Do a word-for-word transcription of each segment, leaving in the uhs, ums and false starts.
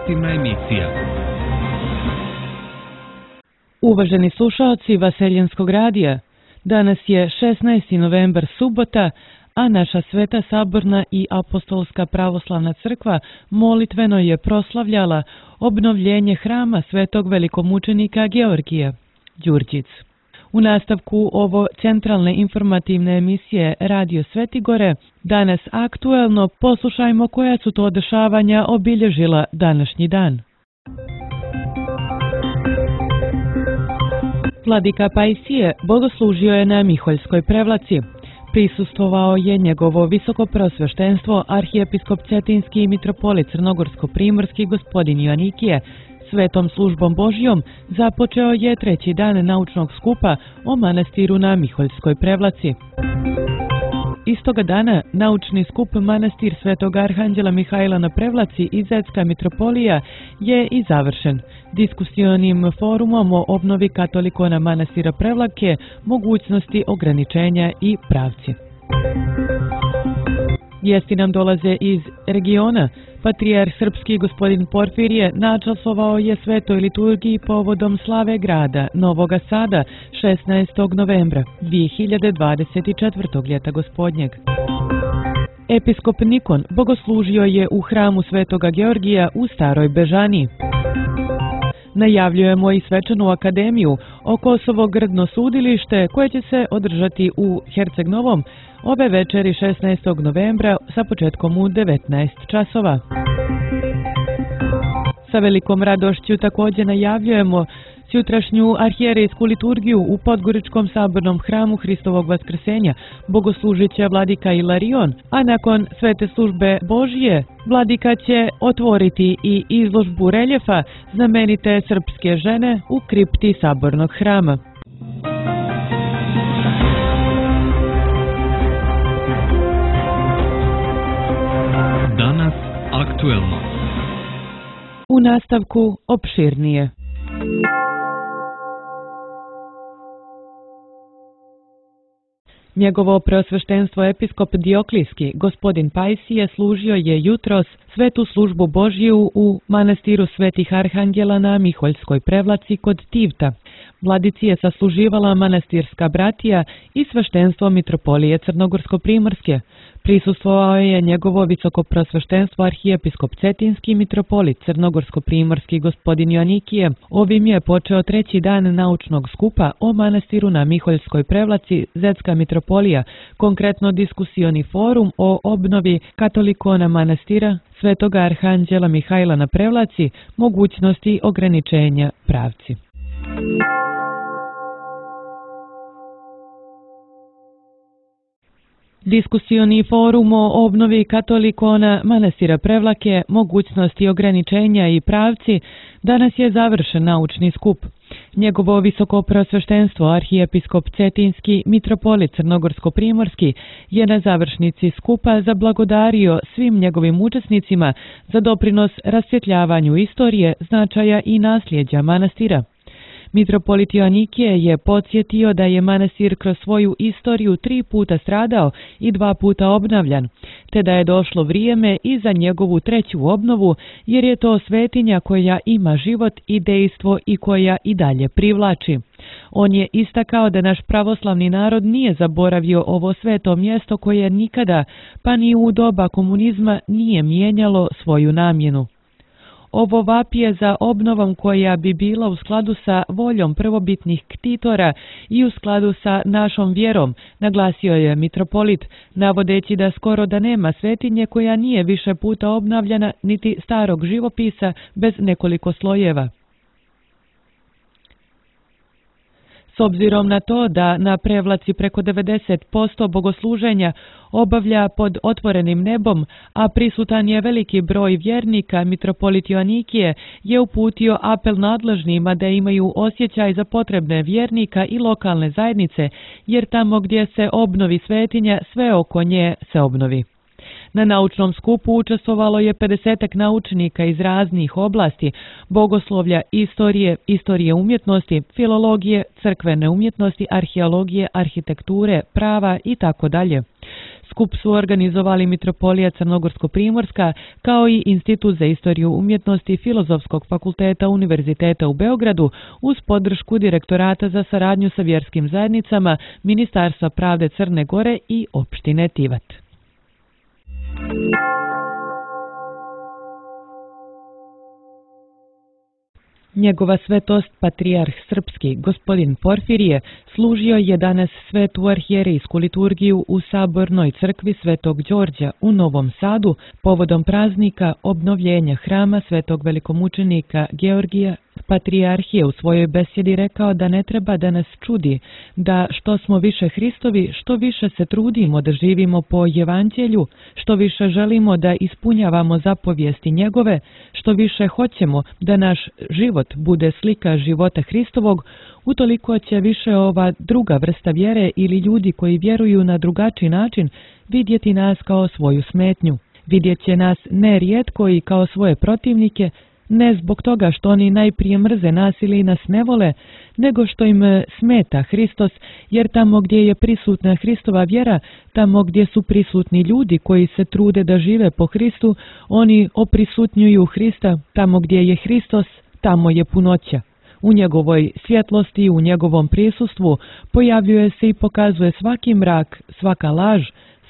informativna emisija. Uvaženi slušaoci Vaseljenskog radija, danas je šesnaesti novembar, subota, a naša Sveta Saborna i Apostolska pravoslavna crkva molitveno je proslavljala obnovljenje hrama svetog velikomučenika Georgija, Đurđic. U nastavku ovo centralne informativne emisije Radio Svetigore, danas aktuelno poslušajmo koja su to dešavanja obilježila današnji dan. Vladika Pajsije bogoslužio je na Miholjskoj prevlaci. Prisustvovao je njegovo visokoprosveštenstvo arhijepiskop Cetinski i mitropolit Crnogorsko-primorski gospodin Joanikije. Svetom službom Božjom započeo je treći dan naučnog skupa o manastiru na Miholjskoj prevlaci. Istoga dana naučni skup manastir Svetog Arhanđela Mihajla na prevlaci i Zetska mitropolija je i završen diskusionim forumom o obnovi katolikona manastira Prevlake, mogućnosti ograničenja i pravci. Vijesti nam dolaze iz regiona. Patrijarh srpski gospodin Porfirije načastvovao je svetoj liturgiji povodom slave grada Novoga Sada šesnaestog novembra dvije hiljade dvadeset četvrtog ljeta gospodnjeg. Episkop Nikon bogoslužio je u hramu Svetoga Georgija u Staroj Bežaniji. Najavljujemo i svečanu akademiju o Kosovo Grdno sudilište koje će se održati u Herceg Novom ove večeri šesnaestog novembra sa početkom u devetnaest časova. Sa velikom radošću također najavljujemo sutrašnju arhijerejsku liturgiju u Podgoričkom sabornom hramu Hristovog vaskrsenja. Bogoslužit će vladika Ilarion, a nakon svete službe Božje vladika će otvoriti i izložbu reljefa znamenite srpske žene u kripti sabornog hrama. Danas aktuelno. U nastavku opširnije. Njegovo preosveštenstvo episkop Dioklijski, gospodin Pajsije, služio je jutros svetu službu Božju u manastiru Svetih Arhangela na Miholjskoj prevlaci kod Tivta. Vladici je sasluživala manastirska bratija i sveštenstvo mitropolije Crnogorsko-primorske. Prisustvovao je njegovo visokoprosveštenstvo arhijepiskop Cetinski mitropolit Crnogorsko-primorski gospodin Joanikije. Ovim je počeo treći dan naučnog skupa o manastiru na Miholjskoj prevlaci Zetska mitropolija, konkretno diskusioni forum o obnovi katolikona manastira Svetoga Arhanđela Mihajla na prevlaci, mogućnosti ograničenja pravci. Diskusioni forum o obnovi katolikona manastira Prevlake, mogućnosti ograničenja i pravci danas je završen naučni skup. Njegovo visokoprosveštenstvo arhijepiskop Cetinski mitropolit Crnogorsko-primorski je na završnici skupa zablagodario svim njegovim učesnicima za doprinos rasvjetljavanju istorije, značaja i nasljeđa manastira. Mitropolit Joanikije je podsjetio da je manastir kroz svoju istoriju tri puta stradao i dva puta obnavljan, te da je došlo vrijeme i za njegovu treću obnovu, jer je to svetinja koja ima život i dejstvo i koja i dalje privlači. On je istakao da naš pravoslavni narod nije zaboravio ovo sveto mjesto koje nikada, pa ni u doba komunizma, nije mijenjalo svoju namjenu. Ovo vapije za obnovom koja bi bila u skladu sa voljom prvobitnih ktitora i u skladu sa našom vjerom, naglasio je mitropolit, navodeći da skoro da nema svetinje koja nije više puta obnavljana niti starog živopisa bez nekoliko slojeva. S obzirom na to da na Prevlaci preko devedeset posto bogosluženja obavlja pod otvorenim nebom, a prisutan je veliki broj vjernika, mitropolit Joanikije je uputio apel nadležnima da imaju osjećaj za potrebne vjernika i lokalne zajednice, jer tamo gdje se obnovi svetinja, sve oko nje se obnovi. Na naučnom skupu učestvovalo je pedesetak naučnika iz raznih oblasti, bogoslovlja, istorije, istorije umjetnosti, filologije, crkvene umjetnosti, arheologije, arhitekture, prava i tako dalje. Skup su organizovali Mitropolija Crnogorsko-Primorska kao i Institut za istoriju umjetnosti Filozofskog fakulteta Univerziteta u Beogradu uz podršku Direktorata za saradnju sa vjerskim zajednicama, Ministarstva pravde Crne Gore i opštine Tivat. Njegova svetost, patrijarh srpski, gospodin Porfirije, služio je danas svetu arhijerejsku liturgiju u Sabornoj crkvi Svetog Đorđa u Novom Sadu povodom praznika obnovljenja hrama Svetog velikomučenika Georgija. Patrijarh je u svojoj besjedi rekao da ne treba da nas čudi, da što smo više Hristovi, što više se trudimo da živimo po evanđelju, što više želimo da ispunjavamo zapovijesti njegove, što više hoćemo da naš život bude slika života Hristovog, utoliko će više ova druga vrsta vjere ili ljudi koji vjeruju na drugačiji način vidjeti nas kao svoju smetnju. Vidjet će nas nerijetko i kao svoje protivnike, ne zbog toga što oni najprije mrze nas ili nas ne vole, nego što im smeta Hristos, jer tamo gdje je prisutna Hristova vjera, tamo gdje su prisutni ljudi koji se trude da žive po Hristu, oni oprisutnjuju Hrista, tamo gdje je Hristos, tamo je punoća. U njegovoj svjetlosti, u njegovom prisustvu pojavljuje se i pokazuje svaki mrak, svaka laž,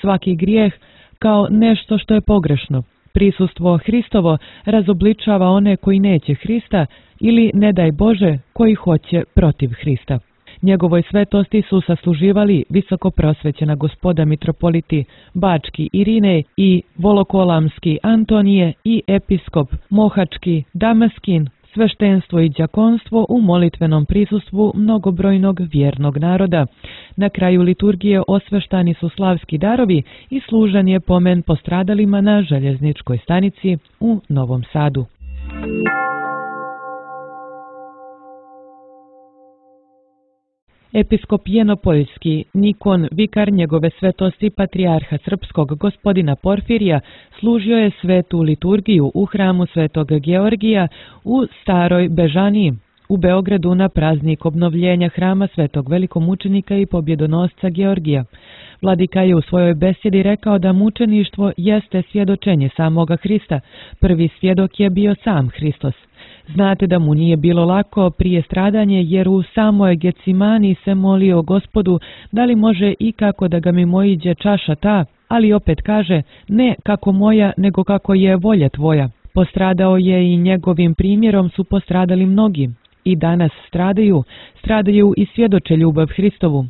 svaki grijeh kao nešto što je pogrešno. Prisustvo Hristovo razobličava one koji neće Hrista ili, ne daj Bože, koji hoće protiv Hrista. Njegovoj svetosti su sasluživali visoko prosvećena gospoda mitropoliti Bački Irinej i Volokolamski Antonije i episkop Mohački Damaskin, sveštenstvo i đakonstvo u molitvenom prisustvu mnogobrojnog vjernog naroda. Na kraju liturgije osveštani su slavski darovi i služan je pomen postradalima na željezničkoj stanici u Novom Sadu. Episkop Jenopoljski Nikon, vikar njegove svetosti patrijarha srpskog gospodina Porfirija, služio je svetu liturgiju u hramu Svetog Georgija u Staroj Bežaniji u Beogradu na praznik obnovljenja hrama Svetog velikomučenika i pobjedonosca Georgija. Vladika je u svojoj besjedi rekao da mučeništvo jeste svjedočenje samoga Hrista. Prvi svjedok je bio sam Hristos. Znate da mu nije bilo lako prije stradanje, jer u samoj Getsimani se molio Gospodu da li može i kako da ga mimoiđe čaša ta, ali opet kaže, ne kako moja, nego kako je volja tvoja. Postradao je i njegovim primjerom su postradali mnogi. I danas stradaju, stradaju i svjedoče ljubav Hristovu.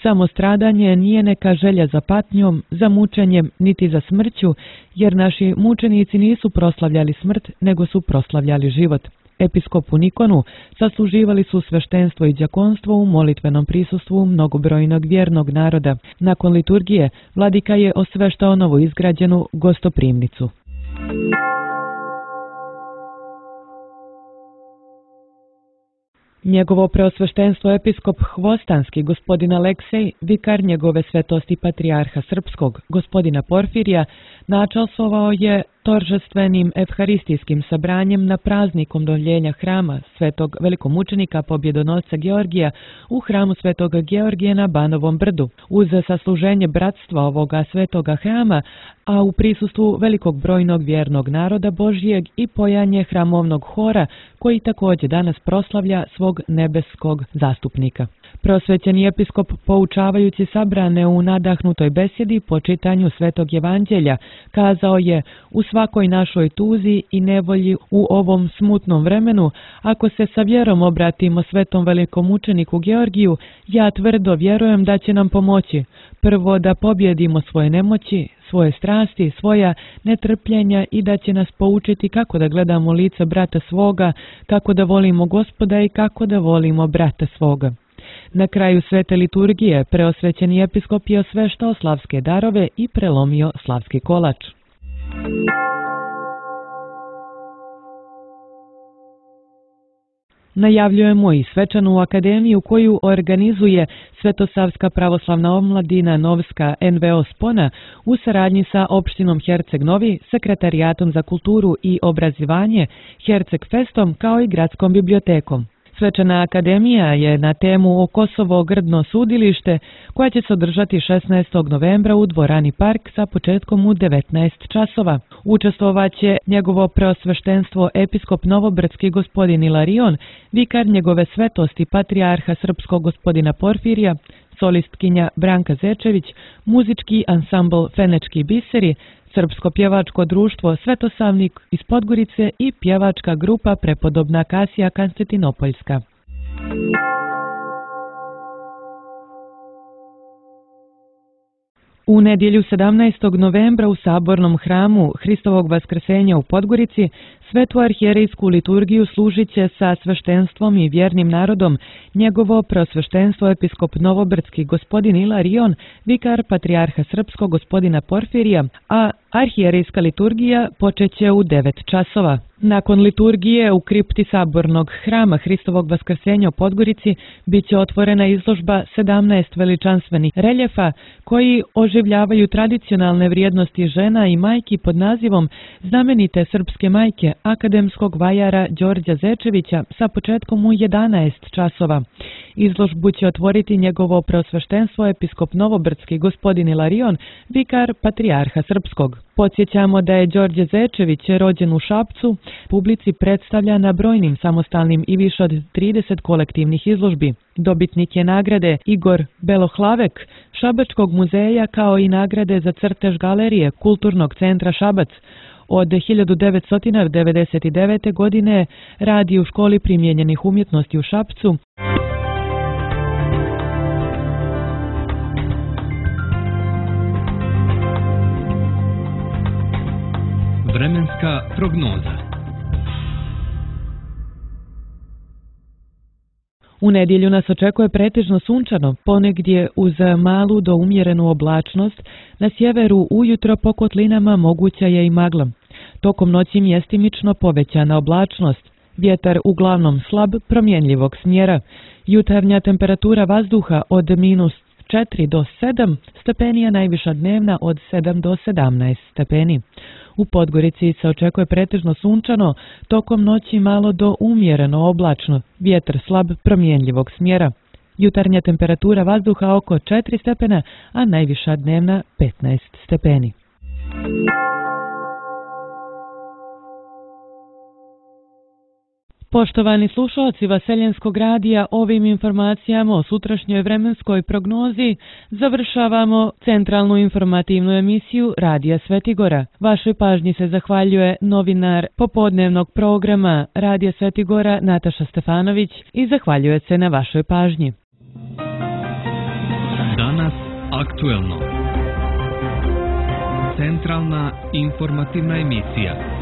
Samo stradanje nije neka želja za patnjom, za mučenjem, niti za smrću, jer naši mučenici nisu proslavljali smrt, nego su proslavljali život. Episkopu Nikonu sasluživali su sveštenstvo i đakonstvo u molitvenom prisustvu mnogobrojnog vjernog naroda. Nakon liturgije, vladika je osveštao novo izgrađenu gostoprimnicu. Njegovo preosveštenstvo episkop Hvostanski gospodin Aleksej, vikar njegove svetosti patrijarha srpskog gospodina Porfirija, načalstvovao je toržestvenim evharistijskim sabranjem na praznik obnovljenja hrama Svetog velikomučenika pobjedonosca Georgija u hramu Svetog Georgija na Banovom brdu. Uz sasluženje bratstva ovoga svetoga hrama, a u prisustvu velikog brojnog vjernog naroda Božijeg i pojanje hramovnog hora, koji također danas proslavlja svog nebeskog zastupnika. Prosvećeni episkop, poučavajući sabrane u nadahnutoj besjedi po čitanju Svetog Evanđelja, kazao je: u svakoj našoj tuzi i nevolji u ovom smutnom vremenu, ako se sa vjerom obratimo Svetom velikomučeniku Georgiju, ja tvrdo vjerujem da će nam pomoći. Prvo da pobjedimo svoje nemoći, svoje strasti, svoja netrpljenja i da će nas poučiti kako da gledamo lice brata svoga, kako da volimo Gospoda i kako da volimo brata svoga. Na kraju svete liturgije preosvećeni episkop je osveštao slavske darove i prelomio slavski kolač. Najavljujemo i svečanu akademiju koju organizuje Svetosavska pravoslavna omladina Novska en ve o Spona u saradnji sa opštinom Herceg Novi, Sekretarijatom za kulturu i obrazovanje, Herceg Festom kao i Gradskom bibliotekom. Svečana akademija je na temu o Kosovo grdno sudilište koja će se održati šesnaestog novembra u dvorani Park sa početkom u devetnaest časova. Učestvovaće njegovo preosveštenstvo episkop Novobrdski gospodin Ilarion, vikar njegove svetosti patrijarha srpskog gospodina Porfirija, solistkinja Branka Zečević, muzički ansambl Fenečki biseri, Srpsko pjevačko društvo Svetosavnik iz Podgorice i pjevačka grupa Prepodobna Kasija Konstantinopoljska. U nedjelju sedamnaestog novembra u Sabornom hramu Hristovog vaskrsenja u Podgorici svetu arhijerejsku liturgiju služit će sa sveštenstvom i vjernim narodom njegovo preosveštenstvo episkop Novobrdski gospodin Ilarion, vikar patrijarha srpskog gospodina Porfirija, a arhijerejska liturgija počeće u devet časova. Nakon liturgije u kripti Sabornog hrama Hristovog vaskrsenja u Podgorici bit će otvorena izložba sedamnaest veličanstvenih reljefa koji oživljavaju tradicionalne vrijednosti žena i majki pod nazivom Znamenite srpske majke akademskog vajara Đorđa Zečevića sa početkom u jedanaest časova. Izložbu će otvoriti njegovo preosveštenstvo episkop Novobrdski gospodin Ilarion, vikar patrijarha srpskog. Podsjećamo da je Đorđe Zečević rođen u Šapcu, publici predstavlja na brojnim samostalnim i više od trideset kolektivnih izložbi. Dobitnik je nagrade Igor Belohlavek Šabačkog muzeja kao i nagrade za crtež galerije Kulturnog centra Šabac. Od hiljadu devetsto devedeset devete. godine radi u školi primijenjenih umjetnosti u Šapcu. Vremenska prognoza. U nedjelju nas očekuje pretežno sunčano, ponegdje uz malu do umjerenu oblačnost, na sjeveru ujutro po kotlinama moguća je i magla. Tokom noći mjestimično povećana oblačnost, vjetar uglavnom slab promjenljivog smjera, jutarnja temperatura vazduha od minus četiri do sedam stepeni, a najviša dnevna od sedam do sedamnaest stepeni. U Podgorici se očekuje pretežno sunčano, tokom noći malo do umjereno oblačno, vjetar slab promjenljivog smjera. Jutarnja temperatura vazduha oko četiri stepena, a najviša dnevna petnaest stepeni. Poštovani slušalci Vaseljenskog radija, ovim informacijama o sutrašnjoj vremenskoj prognozi završavamo centralnu informativnu emisiju Radija Svetigora. Vašoj pažnji se zahvaljuje novinar popodnevnog programa Radija Svetigora Nataša Stefanović i zahvaljuje se na vašoj pažnji. Danas aktuelno. Centralna informativna emisija.